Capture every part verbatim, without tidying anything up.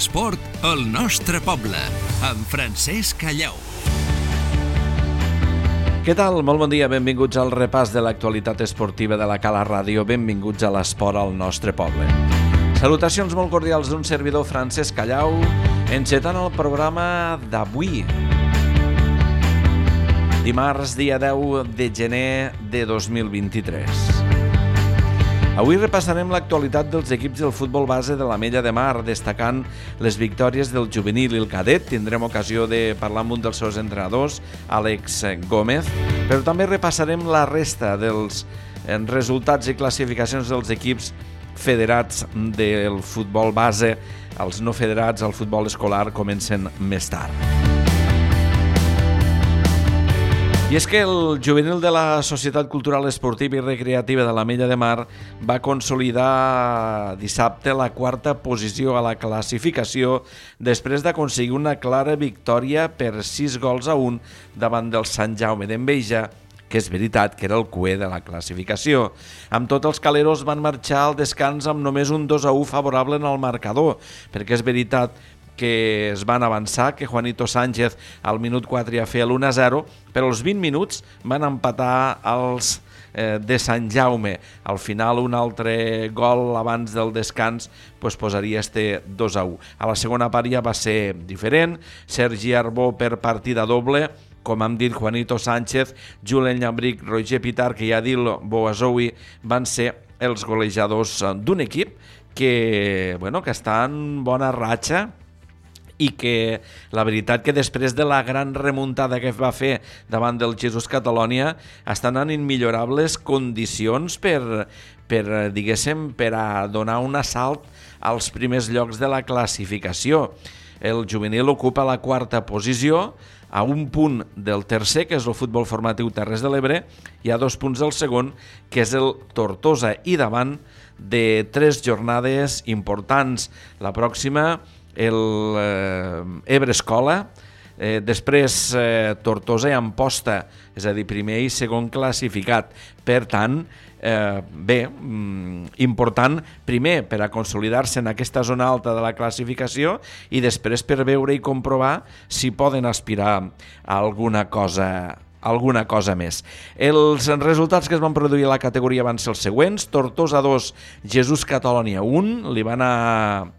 L'esport al nostre poble, amb Francesc Callau. Què tal? Molt bon dia, benvinguts al repàs de l'actualitat esportiva de la Cala Ràdio, benvinguts a l'esport al nostre poble. Salutacions molt cordials d'un servidor, Francesc Callau, encetant el programa d'avui, dimarts, dia deu de gener de dos mil vint-i-tres. Avui repassarem l'actualitat dels equips del futbol base de l'Ametlla de Mar, destacant les victòries del juvenil i el cadet. Tindrem ocasió de parlar amb un dels seus entrenadors, Àlex Gómez, però també repassarem la resta dels resultats i classificacions dels equips federats del futbol base. Els no federats al futbol escolar comencen més tard. I és que el juvenil de la Societat Cultural Esportiva i Recreativa de l'Ametlla de Mar va consolidar dissabte la quarta posició a la classificació després d'aconseguir una clara victòria per sis gols a un davant del Sant Jaume d'Enveja, que és veritat que era el cuer de la classificació. Amb tot, els caleros van marxar al descans amb només un dos a u favorable en el marcador, perquè és veritat que es van avançar, que Juanito Sánchez al minut quatre ja feia l'u a zero, però als vint minuts van empatar els eh, de Sant Jaume. Al final, un altre gol abans del descans pues, posaria este dos a u. A la segona part ja va ser diferent. Sergi Arbó per partida doble, com hem dit, Juanito Sánchez, Julen Llambric, Roger Pitarch i Adil Boazoui van ser els golejadors d'un equip que, bueno, que està en bona ratxa i que la veritat que després de la gran remuntada que va fer davant del Jesús Catalonia estan en immillorables condicions per, per, diguéssim, per a donar un assalt als primers llocs de la classificació. El juvenil ocupa la quarta posició, a un punt del tercer, que és el Futbol Formatiu Terres de l'Ebre, i a dos punts del segon, que és el Tortosa, i davant de tres jornades importants. La pròxima, el eh, Ebre Escola, eh, després eh, Tortosa i Amposta, és a dir, primer i segon classificat. Per tant, eh, bé, mm, important, primer per a consolidar-se en aquesta zona alta de la classificació i després per veure i comprovar si poden aspirar a alguna cosa alguna cosa més. Els resultats que es van produir a la categoria van ser els següents: Tortosa dos, Jesús Catalonia un, li va anar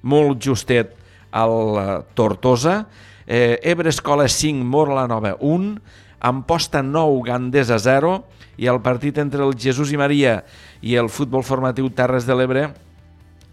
molt justet al Tortosa, eh, Ebre Escola cinc, Móra la Nova un, Amposta nou, Gandesa zero, i el partit entre el Jesús i Maria i el Futbol Formatiu Terres de l'Ebre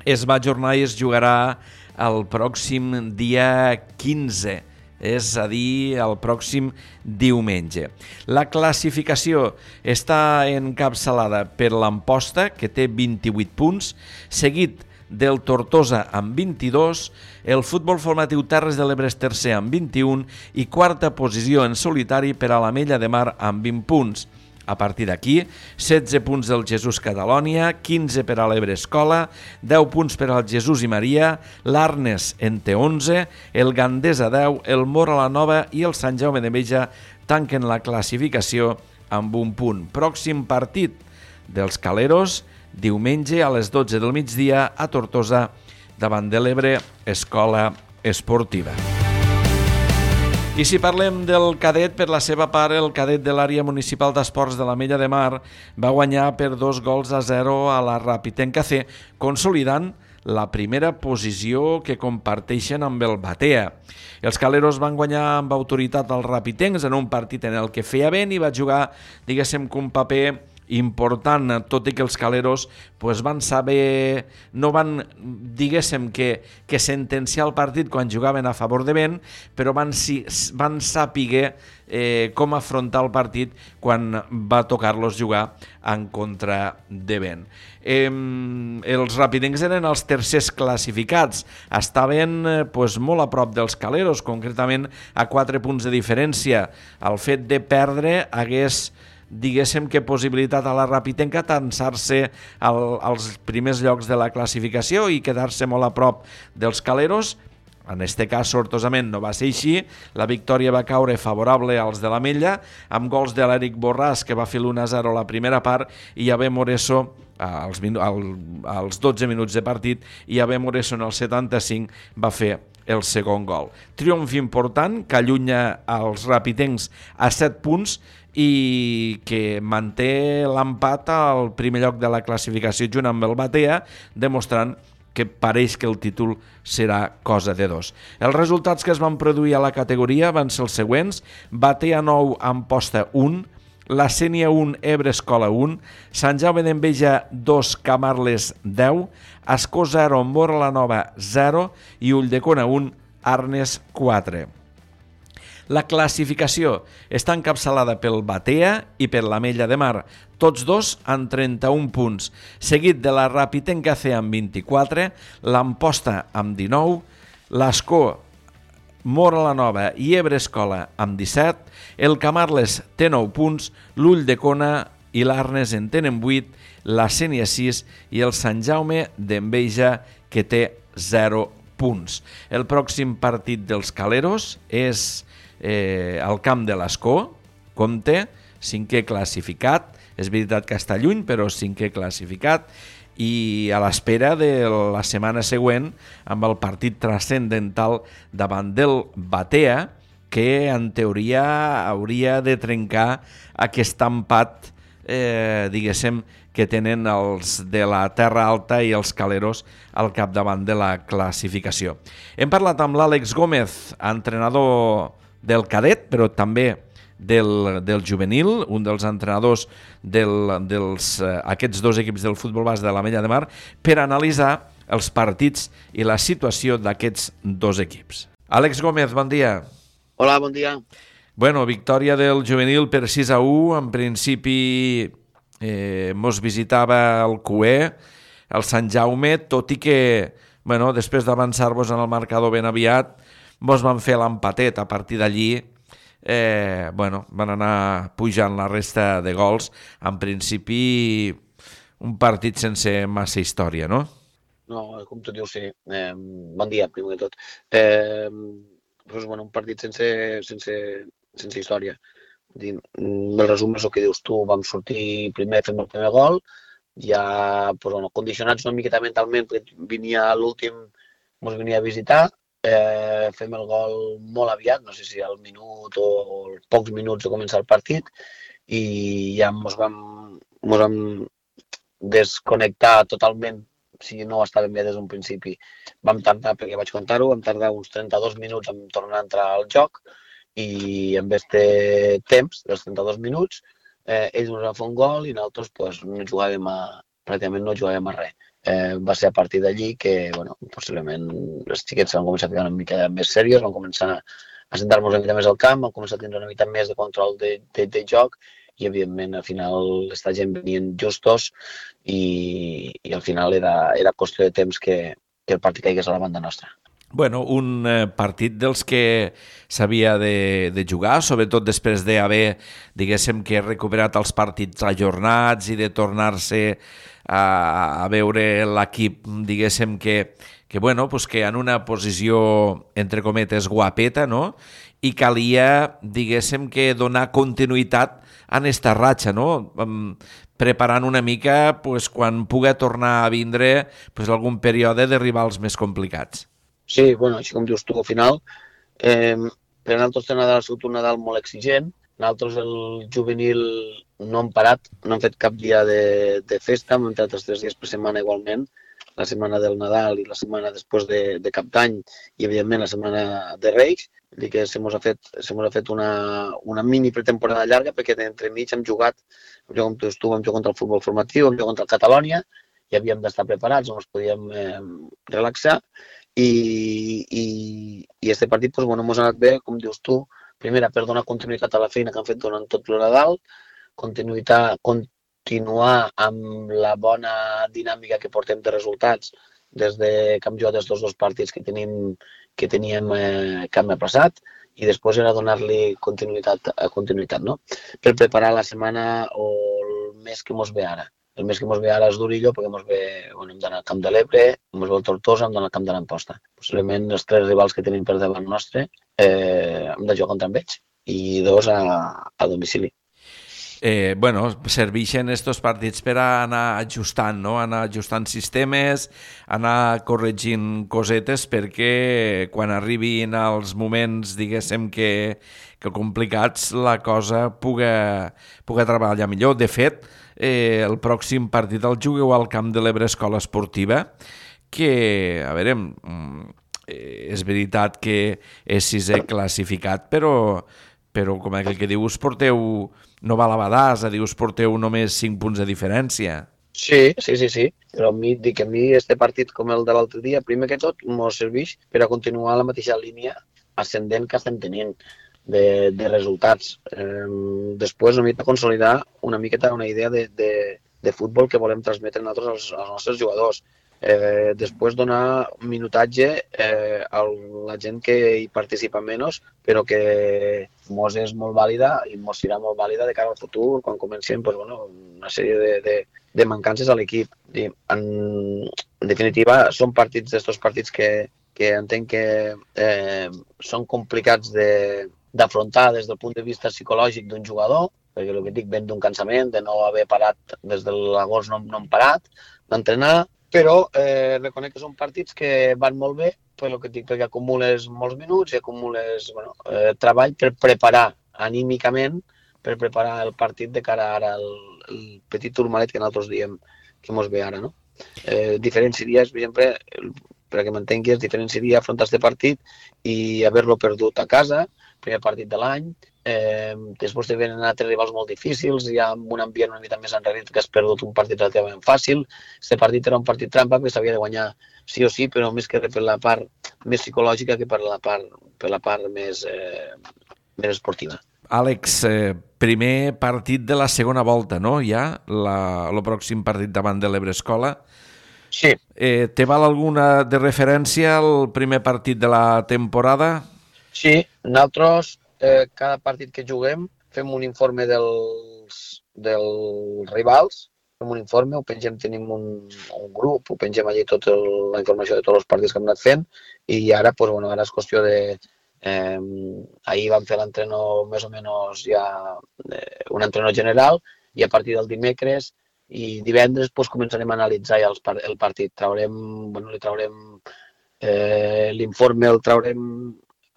es va ajornar i es jugarà el pròxim dia quinze, és a dir, el pròxim diumenge. La classificació està encapçalada per l'Amposta, que té vint-i-vuit punts, seguit del Tortosa amb vint-i-dos, el Futbol Formatiu Terres de l'Ebre és tercer amb vint-i-un i quarta posició en solitari per a l'Ametlla de Mar amb vint punts. A partir d'aquí, setze punts del Jesús Catalonia, quinze per a l'Ebre Escola, deu punts per al Jesús i Maria, l'Arnes en té onze, el Gandesa deu, el Móra la Nova i el Sant Jaume d'Enveja tanquen la classificació amb un punt. Pròxim partit dels caleros, diumenge a les dotze del migdia a Tortosa davant de l'Ebre Escola Esportiva. I si parlem del cadet, per la seva part, el cadet de l'àrea municipal d'esports de l'Ametlla de Mar va guanyar per dos gols a zero a la Rapitenca C, consolidant la primera posició que comparteixen amb el Batea. Els caleros van guanyar amb autoritat als rapitencs en un partit en el que feia vent i va jugar, diguéssim, que un paper important, tot i que els caleros pues, van saber, no van, diguéssim, que, que sentenciar el partit quan jugaven a favor de vent, però van, si, van saber eh, com afrontar el partit quan va tocar-los jugar en contra de vent. Eh, els rapidencs eren els tercers classificats, estaven eh, pues, molt a prop dels caleros, concretament a quatre punts de diferència. El fet de perdre hagués, diguéssim, que possibilitat a la Rapitenca tansar-se al, als primers llocs de la classificació i quedar-se molt a prop dels caleros. En aquest cas, sortosament, no va ser així. La victòria va caure favorable als de l'Ametlla, amb gols de l'Eric Borràs, que va fer l'u a zero a la primera part, i Javé Moreso, als, al, als dotze minuts de partit, i Abel Moreso en el setanta-cinc va fer el segon gol. Triomf important que allunya els rapitencs a set punts i que manté l'empat al primer lloc de la classificació junt amb el Batea, demostrant que pareix que el títol serà cosa de dos. Els resultats que es van produir a la categoria van ser els següents: Batea nou, Amposta un, la Sénia un, Ebre Escola un, Sant Jaume d'Enveja dos, Camarles deu, Ascó zero, Móra la Nova zero i Ulldecona un, Arnes quatre. La classificació està encapçalada pel Batea i per l'Ametlla de Mar, tots dos amb trenta-un punts, seguit de la Rapitenca C amb vint-i-quatre, l'Amposta amb dinou, l'Ascó, Móra la Nova i Ebre Escola amb disset, el Camarles té nou punts, l'Ulldecona i l'Arnes en tenen vuit, la Sénia sis i el Sant Jaume d'Enveja que té zero punts. El pròxim partit dels Caleros és eh, al camp de l'Ascó, compte, cinquè classificat, és veritat que està lluny, però cinquè classificat, i a l'espera de la setmana següent amb el partit transcendental davant del Batea, que en teoria hauria de trencar aquest empat, eh, diguéssim, que tenen els de la Terra Alta i els Caleros al capdavant de la classificació. Hem parlat amb l'Àlex Gómez, entrenador del cadet, però també del, del juvenil, un dels entrenadors del, dels, eh, aquests dos equips del futbol base de l'Ametlla de Mar, per analitzar els partits i la situació d'aquests dos equips. Àlex Gómez, bon dia. Hola, bon dia. Bueno, victòria del juvenil per sis a u, en principi eh, mos visitava el Q E, el Sant Jaume, tot i que, bueno, després d'avançar-vos en el marcador ben aviat, mos van fer l'empatet. A partir d'allí, eh, bueno, van anar pujant la resta de gols. En principi, un partit sense massa història, no? No, com tu dius, sí. Eh, bon dia, primer de tot. Eh, doncs, bueno, un partit sense, sense, sense història. El resum és el que dius tu, vam sortir primer, fem el primer gol, ja pues, bueno, condicionats una miqueta mentalment, perquè venia l'últim, ens venia a visitar, eh, fem el gol molt aviat, no sé si al minut o pocs minuts de començar el partit, i ja ens vam, ens vam desconnectar totalment, si no estàvem bé des d'un principi. Vam tardar, perquè vaig contar-ho, vam tardar uns trenta-dos minuts en tornar a entrar al joc, i en aquest temps, dels trenta-dos minuts, eh, ells ens van fer un gol i nosaltres pues, no jugàvem a, pràcticament no jugàvem a res. Eh, va ser a partir d'allí que, bueno, possiblement els xiquets van començar a ficar una mica més serios, van començar a sentar-nos una mica més al camp, van començar a tenir una mica més de control de, de, de joc i, evidentment, al final esta gent venien justos i, i al final era, era qüestió de temps que, que el partit caigués a la banda nostra. Bueno, un eh, partit dels que s'havia de, de jugar, sobretot després d'haver, diguéssim, que recuperat els partits ajornats i de tornar-se a, a veure l'equip, diguéssim, que, que, bueno, pues que en una posició, entre cometes, guapeta, no? I calia, diguéssim, que donar continuïtat en esta ratxa, no? Um, preparant una mica pues, quan pugui tornar a vindre pues, algun període de rivals més complicats. Sí, bueno, així com dius tu, al final, eh, per nosaltres té Nadal ha sigut un Nadal molt exigent. Nosaltres, el juvenil, no hem parat, no hem fet cap dia de, de festa, hem entrat els tres dies per setmana igualment, la setmana del Nadal i la setmana després de, de Cap d'Any i, evidentment, la setmana de Reis. Vull dir que se mos ha fet, se mos ha fet una, una mini pretemporada llarga perquè entremig hem jugat, hem jugat com tu, tu vam jugar contra el futbol formatiu, hem jugat contra el Catalonia i havíem d'estar preparats, no ens podíem eh, relaxar. I, i, i este partit pues, bueno, ens ha anat bé, com dius tu, primera per donar continuïtat a la feina que han fet durant tot el Nadal, continuïtat, continuar amb la bona dinàmica que portem de resultats des de que hem jugat els dos, dos partits que tenim que teníem eh, que hem passat i després era donar-li continuïtat a continuïtat, no? Per preparar la setmana o el mes que ens ve ara. El mes que ens ve ara és Durillo perquè ens ve, bueno, hem d'anar al Camp de l'Ebre, ens ve el Tortosa, hem d'anar al Camp de l'Amposta. Possiblement els tres rivals que tenim per davant nostre eh, hem de jugar contra ells i dos a, a domicili. Eh, bueno, serveixen estos partits per a anar ajustant, no? Anar ajustant sistemes, anar corregint cosetes perquè quan arribin els moments, diguéssim, que, que complicats, la cosa puga, puga treballar millor. De fet, eh, el pròxim partit el jugueu al camp de l'Ebre Escola Esportiva, que, a veure, eh, és veritat que és sisè classificat, però, però com aquell que dius, porteu... No va a la badassa, dius, porteu només cinc punts de diferència. Sí, sí, sí, sí. Però a mi, dic, a mi este partit com el de l'altre dia, primer que tot, m'ho serveix per a continuar la mateixa línia ascendent que estem tenint de, de resultats. Eh, després, una mica consolidar una miqueta una idea de, de, de futbol que volem transmetre nosaltres als, als nostres jugadors. Eh, després donar un minutatge eh, a la gent que hi participa menys, però que mos és molt vàlida i mos serà molt vàlida de cara al futur, quan comencem pues, bueno, una sèrie de, de, de mancances a l'equip. En, en definitiva, són partits d'estos partits que, que entenc que eh, són complicats de, d'afrontar des del punt de vista psicològic d'un jugador, perquè el que dic, ven d'un cansament, de no haver parat des de l'agost, no, no hem parat d'entrenar, però eh, reconec que són partits que van molt bé, per el que dic, perquè acumules molts minuts i acumules bueno, eh, treball per preparar anímicament, per preparar el partit de cara ara al el petit turmalet que nosaltres diem que mos ve ara. No? Eh, diferent seria, per exemple, perquè m'entenguis, diferent seria afrontar aquest partit i haver-lo perdut a casa, primer partit de l'any, eh, després te venen altres rivals molt difícils, hi ha un ambient una mica més enrere que has perdut un partit relativament fàcil. Aquest partit era un partit trampa que s'havia de guanyar sí o sí, però més que per la part més psicològica que per la part, per la part més, eh, més esportiva. Àlex, eh, primer partit de la segona volta, no? Ja, la, el pròxim partit davant de l'Ebre Escola. Sí. Eh, te val alguna de referència al primer partit de la temporada? Sí, nosaltres eh, cada partit que juguem fem un informe dels, dels rivals, fem un informe, ho pengem, tenim un, un grup, ho pengem allà tota la informació de tots els partits que hem anat fent i ara, pues, bueno, ara és qüestió de... Eh, ahir vam fer l'entreno més o menys ja eh, un entreno general i a partir del dimecres i divendres pues, començarem a analitzar ja els, el partit. Traurem, bueno, li traurem eh, l'informe, el traurem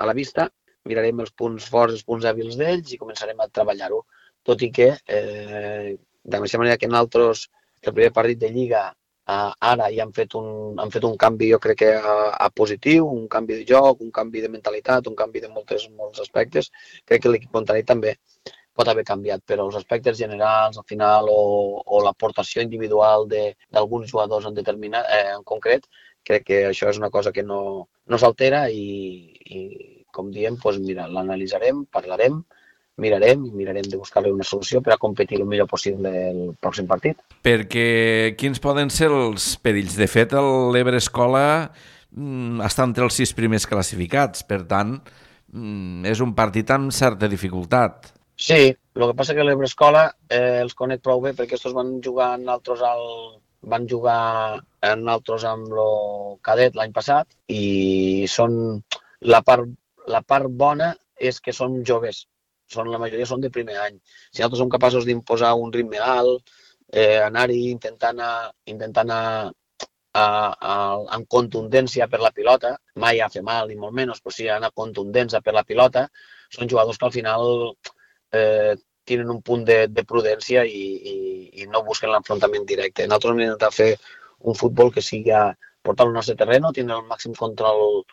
a la vista, mirarem els punts forts, els punts hàbils d'ells i començarem a treballar-ho. Tot i que, eh, de la mateixa manera que nosaltres, el primer partit de Lliga, Uh, ara ja han fet, un, han fet un canvi, jo crec que a, a positiu, un canvi de joc, un canvi de mentalitat, un canvi de moltes, molts aspectes. Crec que l'equip contrari també pot haver canviat, però els aspectes generals, al final, o, o l'aportació individual d'alguns jugadors en determinat, eh, en concret, crec que això és una cosa que no, no s'altera i, i, com diem, doncs, mira, l'analitzarem, parlarem, mirarem i mirarem de buscar-li una solució per a competir el millor possible el pròxim partit. Perquè quins poden ser els perills? De fet, l'Ebre Escola mm, està entre els sis primers classificats, per tant, mm, és un partit amb certa dificultat. Sí, el que passa que l'Ebre Escola eh, els conec prou bé perquè estos van jugar en altres al... van jugar en altres amb el cadet l'any passat i són la part, la part bona és que són joves. Són, la majoria són de primer any. Si nosaltres som capaços d'imposar un ritme alt, eh, anar-hi intentant, a, intentant a, a, a, amb contundència per la pilota, mai a fer mal ni molt menys, però sí anar contundència per la pilota, són jugadors que al final eh, tenen un punt de, de prudència i, i, i no busquen l'enfrontament directe. Nosaltres hem d'intentar fer un futbol que sigui a portar al nostre terreno, tenir el màxim control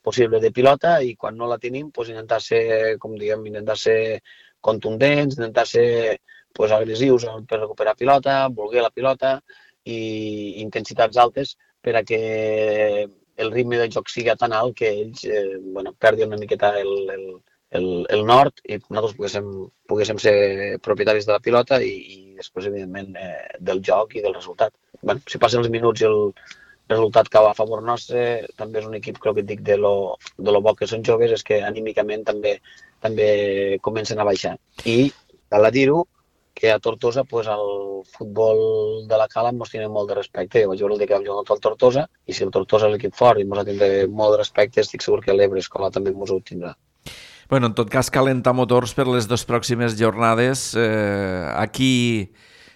possible de pilota i quan no la tenim pues, intentar ser, com diguem, intentar ser contundents, intentar ser pues, agressius per recuperar pilota, voler la pilota i intensitats altes per a que el ritme del joc sigui tan alt que ells eh, bueno, perdin una miqueta el, el, el, el nord i nosaltres poguéssim, poguéssim ser propietaris de la pilota i, i després, evidentment, eh, del joc i del resultat. Bueno, si passen els minuts i el resultat que va a favor nostre, també és un equip, crec que et dic, de lo, de lo bo que són joves, és que anímicament també també comencen a baixar. I cal dir-ho, que a Tortosa pues, el futbol de la Cala ens tenen molt de respecte. Jo vaig veure el dia que vam jugar contra el Tortosa, i si el Tortosa és l'equip fort i ens ha tindre molt de respecte, estic segur que l'Ebre Escola també ens ho tindrà. Bueno, en tot cas, calentar motors per les dues pròximes jornades. Eh, aquí,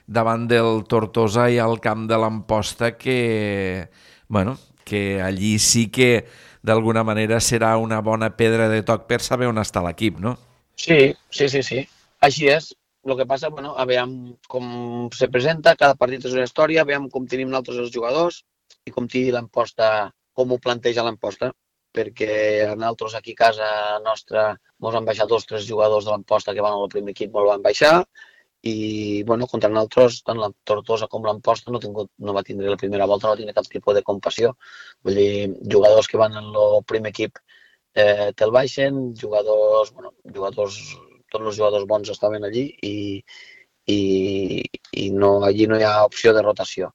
davant del Tortosa i al camp de l'Amposta, que, bueno, que allí sí que d'alguna manera serà una bona pedra de toc per saber on està l'equip, no? Sí, sí, sí, sí. Així és. El que passa, bueno, a veure com se presenta, cada partit és una història, a veure com tenim nosaltres els jugadors i com tingui l'Amposta, com ho planteja l'Amposta, perquè nosaltres aquí a casa nostra ens han baixat dos o tres jugadors de l'Amposta que van al primer equip, ens van baixar, i bueno, contra nosaltres, tant la Tortosa com l'Amposta no, tingut, no va tindre la primera volta, no va tindre cap tipus de compassió. Vull dir, jugadors que van al primer equip eh, te'l baixen, jugadors, bueno, jugadors, tots els jugadors bons estaven allí i, i, i no, allí no hi ha opció de rotació.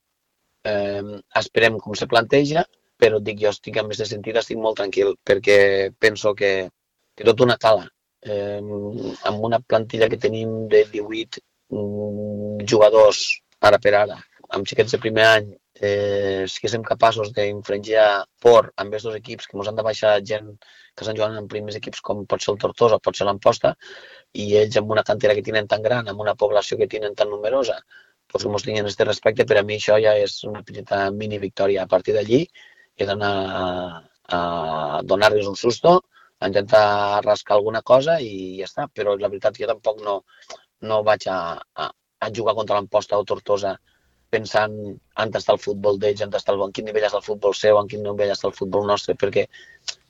Eh, esperem com se planteja, però et dic, jo estic amb aquest sentit, estic molt tranquil, perquè penso que, que tot una cala. Eh, amb una plantilla que tenim de divuit mm, jugadors ara per ara, amb xiquets de primer any, eh, si que som capaços d'infringir por amb aquests dos equips, que ens han de baixar gent que estan jugant en primers equips com pot ser el Tortosa o pot ser l'Amposta, i ells amb una cantera que tenen tan gran, amb una població que tenen tan numerosa, doncs que ens tinguin aquest respecte, per a mi això ja és una petita mini victòria. A partir d'allí he d'anar a, a donar-los un susto, a intentar rascar alguna cosa i ja està, però la veritat jo tampoc no, no vaig a, a, a jugar contra l'Amposta o Tortosa pensant on està el futbol d'ells, on està el, en quin nivell està el futbol seu, en quin nivell està el futbol nostre, perquè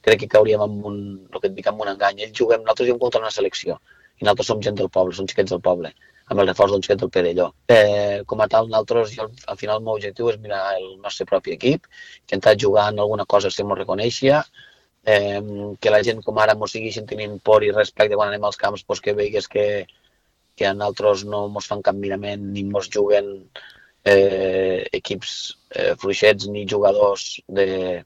crec que cauríem en un, el que et dic, en un engany. Ells juguem, nosaltres juguem contra una selecció i nosaltres som gent del poble, som xiquets del poble, amb el reforç d'un xiquet del Perelló. Eh, com a tal, nosaltres, jo, al final el meu objectiu és mirar el nostre propi equip, intentar jugar en alguna cosa que ens reconeixia, eh, que la gent com ara ens segueixin tenint por i respecte quan anem als camps, pues, que veigues que, que a nosaltres no ens fan cap mirament ni ens juguen eh, equips eh, fluixets ni jugadors de,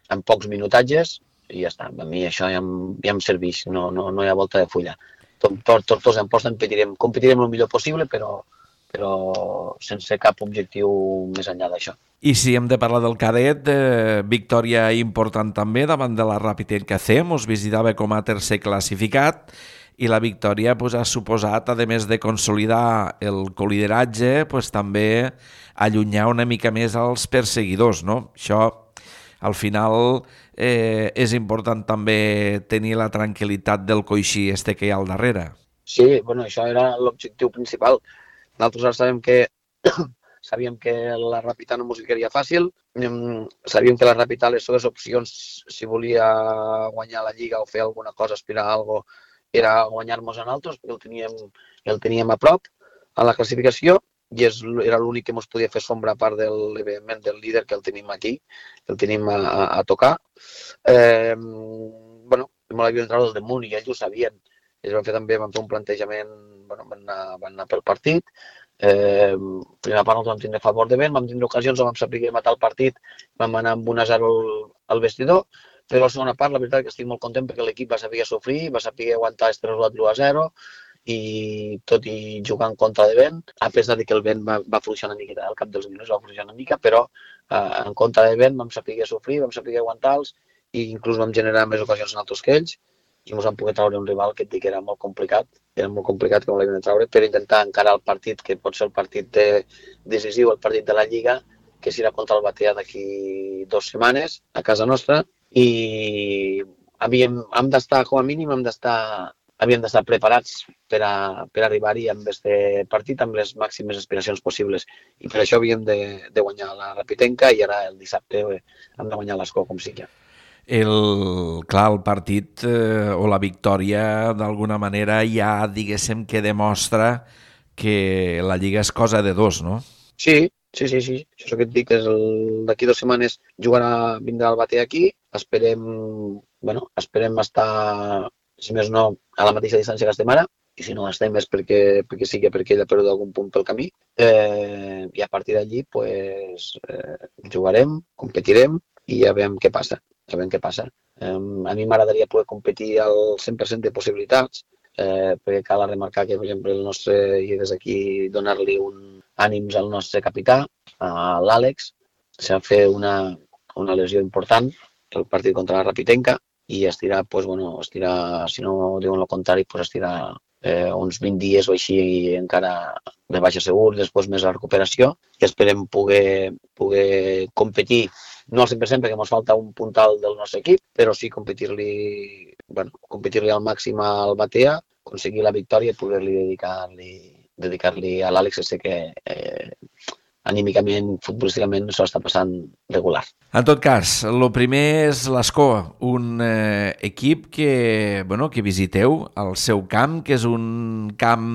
amb pocs minutatges, i ja està. A mi això ja em, ja em serveix, no, no, no hi ha volta de fulla. Per Tortosa en posta competirem, competirem el millor possible, però, però sense cap objectiu més enllà d'això. I si hem de parlar del cadet, eh, victòria important també davant de la Rapitenca C, mos visitava com a tercer classificat, i la victòria pues, ha suposat, a més de consolidar el colideratge, pues, també allunyar una mica més als perseguidors, no? Això, al final, eh, és important també tenir la tranquil·litat del coixí este que hi ha al darrere. Sí, bueno, això era l'objectiu principal. Nosaltres ara sabem que sabíem que la Ràpita no ens ficaria fàcil, sabíem que la Ràpita les seves opcions, si volia guanyar la Lliga o fer alguna cosa, aspirar a alguna cosa, era guanyar-nos a nosaltres, perquè el teníem, el teníem a prop a la classificació, i és, era l'únic que ens podia fer sombra a part del, evidentment, del líder que el tenim aquí, que el tenim a, a, a tocar. Eh, bueno, me l'havien tret del damunt i ells ho sabien. Ells van fer també, van fer un plantejament, bueno, van anar, van anar pel partit. Eh, primera part nosaltres vam tindre favor de vent, vam tindre ocasions, vam saber matar el partit, vam anar amb un a zero al, al vestidor, però la segona part la veritat que estic molt content perquè l'equip va saber sofrir, va saber aguantar este resultat l'u a zero, i tot i jugar en contra de vent, a pesar de que el vent va, va fluixar una miqueta, al cap dels minuts va fluixar una mica, però eh, en contra de vent vam saber sofrir, vam saber aguantar-los i inclús vam generar més ocasions en altres que ells i ens vam poder treure un rival que et dic que era molt complicat, era molt complicat que no l'havien de treure per intentar encarar el partit, que pot ser el partit de, decisiu, el partit de la Lliga, que serà contra el Batea d'aquí dues setmanes a casa nostra, i havíem, hem d'estar, com a mínim, hem d'estar havíem d'estar preparats per, a, per arribar-hi amb aquest partit amb les màximes aspiracions possibles. I per això havíem de, de guanyar la Rapitenca i ara el dissabte hem de guanyar l'Escó com sigui. El, clar, el partit eh, o la victòria d'alguna manera ja diguéssim que demostra que la Lliga és cosa de dos, no? Sí, sí, sí, sí. Això que et dic és d'aquí dues setmanes jugarà, vindrà el Batea aquí, esperem, bueno, esperem estar, si més no, a la mateixa distància que estem ara, i si no estem és perquè, perquè sí que perquè ell ha perdut algun punt pel camí, eh, i a partir d'allí pues, eh, jugarem, competirem i ja veiem què passa. Ja veiem què passa. Eh, a mi m'agradaria poder competir al cent per cent de possibilitats, eh, perquè cal remarcar que, per exemple, el nostre, i des d'aquí donar-li un ànims al nostre capità, a l'Àlex, s'ha fet una, una lesió important, el partit contra la Rapitenca, i estirà, pues, bueno, estirà, si no diuen el contrari, pues estirà eh, uns vint dies o així i encara de baixa segur, després més la recuperació, i esperem poder, poder competir, no al cent per cent perquè ens falta un puntal del nostre equip, però sí competir-li, bueno, competir-li al màxim al Batea, aconseguir la victòria i poder-li dedicar-li dedicar-li a l'Àlex, que sé que eh, anímicament, futbolísticament, s'ho està passant regular. En tot cas, el primer és l'Escó, un eh, equip que, bueno, que visiteu al seu camp, que és un camp,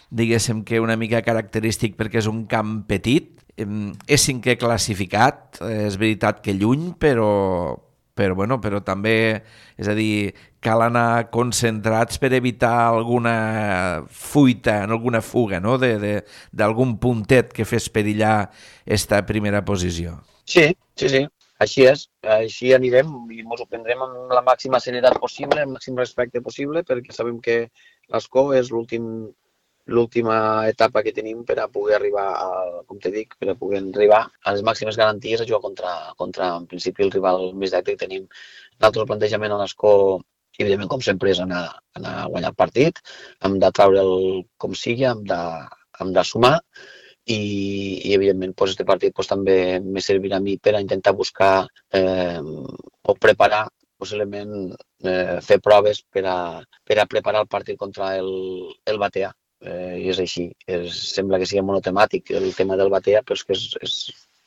diguéssim que una mica característic perquè és un camp petit, eh, és cinquè classificat, eh, és veritat que lluny, però, però, bueno, però també, és a dir, cal anar concentrats per evitar alguna fuita, alguna fuga, no?, d'algun puntet que fes perillar esta primera posició. Sí, sí, sí, així és. Així anirem i ens ho prendrem amb la màxima serietat possible, amb el màxim respecte possible, perquè sabem que l'Escó és l'últim l'última etapa que tenim per a poder arribar, a, com te dic, per a poder arribar a les màximes garanties a jugar contra, contra en principi, el rival més directe que tenim. Nosaltres el plantejament a l'Escó, evidentment, com sempre, és anar, anar a guanyar el partit, hem de treure'l com sigui, hem de, hem de sumar i, i evidentment, doncs, aquest partit doncs, també me servirà a mi per a intentar buscar eh, o preparar, possiblement eh, fer proves per a, per a preparar el partit contra el, el Batea. Eh, I és així. És, sembla que sigui monotemàtic el tema del Batea, però és que és, és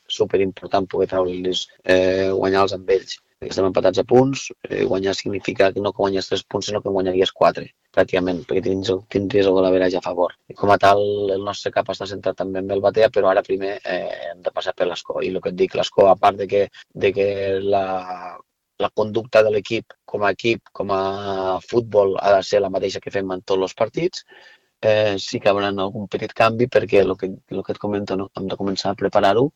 superimportant poder treure'ls, eh, guanyar-los amb ells. Estem empatats a punts, eh, guanyar significa que no que guanyes tres punts, sinó que guanyaries quatre, pràcticament, perquè tindries, tindries el golaveratge a favor. I com a tal, el nostre cap està centrat també en el Batea, però ara primer eh, hem de passar per l'Escó. I el que et dic, l'Escó, a part de que, de que la, la conducta de l'equip com a equip, com a futbol, ha de ser la mateixa que fem en tots els partits, Eh, sí que haurà algun petit canvi perquè el que, el que et comento, no? Hem de començar a preparar-ho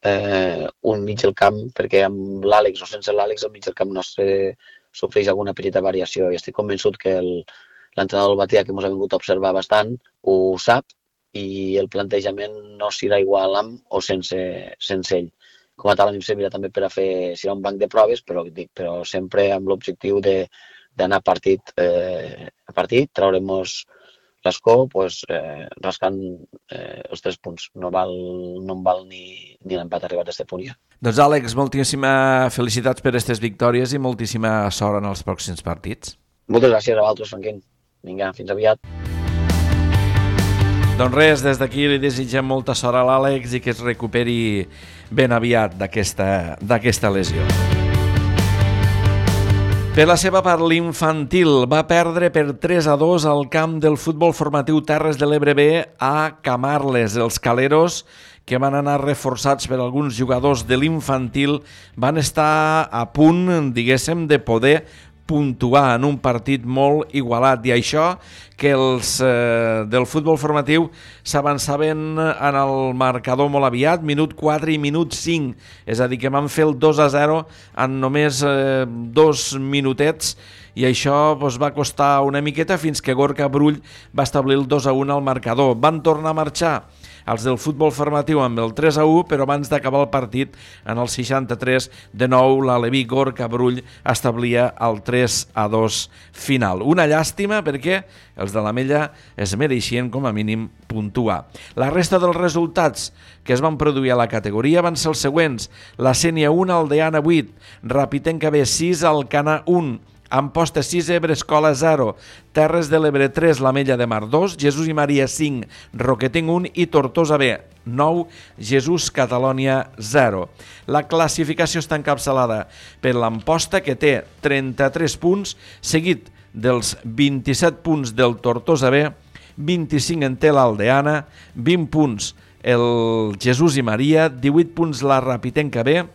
eh, un mig del camp, perquè amb l'Àlex o sense l'Àlex el mig del camp nostre sofreix alguna petita variació i estic convençut que l'entrenador del Batea, que ens ha vingut a observar bastant, ho sap i el plantejament no serà igual amb o sense, sense ell. Com a tal, a mi em servirà també per a fer, serà un banc de proves, però, dic, però sempre amb l'objectiu d'anar partit eh, a partit, treure-nos l'Escó, pues, eh, rascant eh, els tres punts. No, val, no em val ni, ni l'empat arribat a aquest punt ja. Doncs Àlex, moltíssima felicitats per aquestes victòries i moltíssima sort en els pròxims partits. Moltes gràcies a vosaltres, Franquín. Vinga, fins aviat. Doncs res, des d'aquí li desitgem molta sort a l'Àlex i que es recuperi ben aviat d'aquesta lesió. Per la seva part, l'infantil va perdre per tres a dos al camp del futbol formatiu Terres de l'Ebre B a Camarles. Els caleros, que van anar reforçats per alguns jugadors de l'infantil, van estar a punt, diguéssim, de poder puntuar en un partit molt igualat, i això que els eh, del futbol formatiu s'avançaven en el marcador molt aviat, minut quatre i minut cinc, és a dir, que van fer el dos a zero en només eh, dos minutets, i això doncs, va costar una miqueta fins que Gorka Brull va establir el dos a un al marcador. Van tornar a marxar els del futbol formatiu amb el tres a u, però abans d'acabar el partit, en el seixanta-tres, de nou l'Aleví Gorka Brull establia el tres a dos final. Una llàstima perquè els de l'Amella es mereixien com a mínim puntuar. La resta dels resultats que es van produir a la categoria van ser els següents: la Sénia un, Aldeana vuit, Rapitenca B sis, Alcanar un, Amposta sis, Ebre Escola zero, Terres de l'Ebre tres, l'Ametlla de Mar dos, Jesús i Maria cinc, Roquetenc un i Tortosa B nou, Jesús Catalònia zero. La classificació està encapçalada per l'Amposta, que té trenta-tres punts, seguit dels vint-i-set punts del Tortosa B, vint-i-cinc en té l'Aldeana, vint punts el Jesús i Maria, divuit punts la Rapitenca B,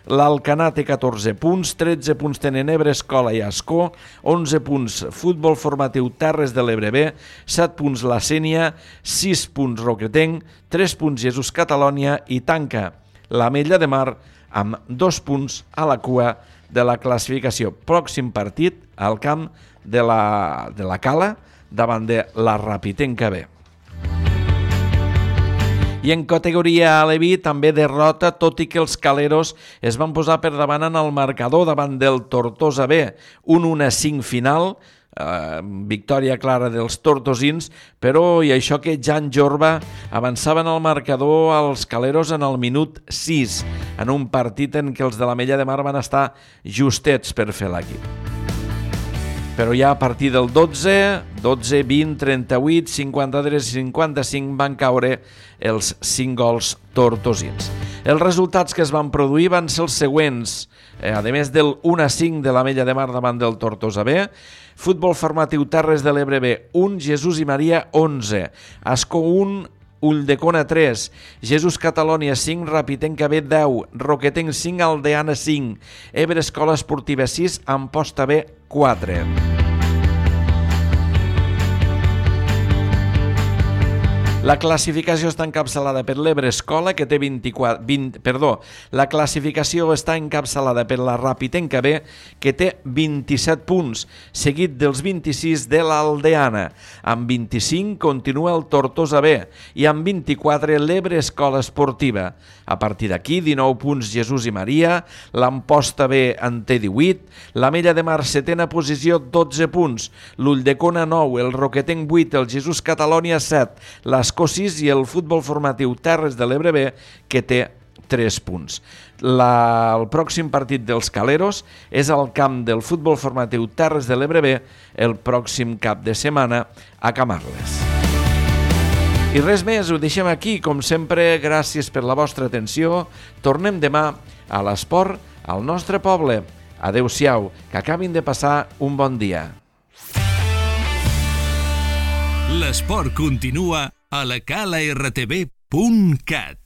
l'Alcanar té catorze punts, tretze punts tenen Ebre Escola i Ascó, onze punts Futbol Formatiu Terres de l'Ebre B, set punts la Sénia, sis punts Roquetenc, tres punts Jesús Catalònia i tanca l'Ametlla de Mar amb dos punts a la cua de la classificació. Pròxim partit al camp de la, de la Cala davant de la Rapitenca B. I en categoria Alevi també derrota, tot i que els caleros es van posar per davant en el marcador davant del Tortosa B, un u a cinc final, eh, victòria clara dels tortosins, però i això que Jan Jorba avançava en el marcador als caleros en el minut sis, en un partit en què els de l'Ametlla de Mar van estar justets per fer l'equip. Però ja a partir del dotze, dotze, vint, trenta-vuit, cinquanta-tres i cinquanta-cinc van caure els cinc gols tortosins. Els resultats que es van produir van ser els següents. Eh, a més del u a cinc de l'Ametlla de Mar davant del Tortosa B, Futbol Formatiu Terres de l'Ebre B, un, Jesús i Maria, onze, Ascó un, Ulldecona tres, Jesús Catalònia cinc, Rapitenca B deu, Roquetenc cinc, Aldeana cinc, Ebre Escola Esportiva sis, Amposta B quatre. La classificació està encapçalada per l'Ebre Escola, que té vint-i-quatre, vint, perdó, la classificació està encapçalada per la Rapitenca B, que té vint-i-set punts, seguit dels vint-i-sis de l'Aldeana. Amb vint-i-cinc continua el Tortosa B i amb vint-i-quatre l'Ebre Escola Esportiva. A partir d'aquí, dinou punts Jesús i Maria, l'Amposta B en té divuit, l'Ametlla de Mar setena posició, dotze punts, l'Ulldecona nou, el Roquetenc vuit, el Jesús Catalònia set, l'Escola sis i el Futbol Formatiu Terres de l'Ebre B, que té tres punts. La, el pròxim partit dels caleros és al camp del Futbol Formatiu Terres de l'Ebre B el pròxim cap de setmana a Camarles. I res més, ho deixem aquí. Com sempre, gràcies per la vostra atenció. Tornem demà a l'esport al nostre poble. Adéu-siau, que acabin de passar un bon dia. L'esport continua a la cala r t v punt cat.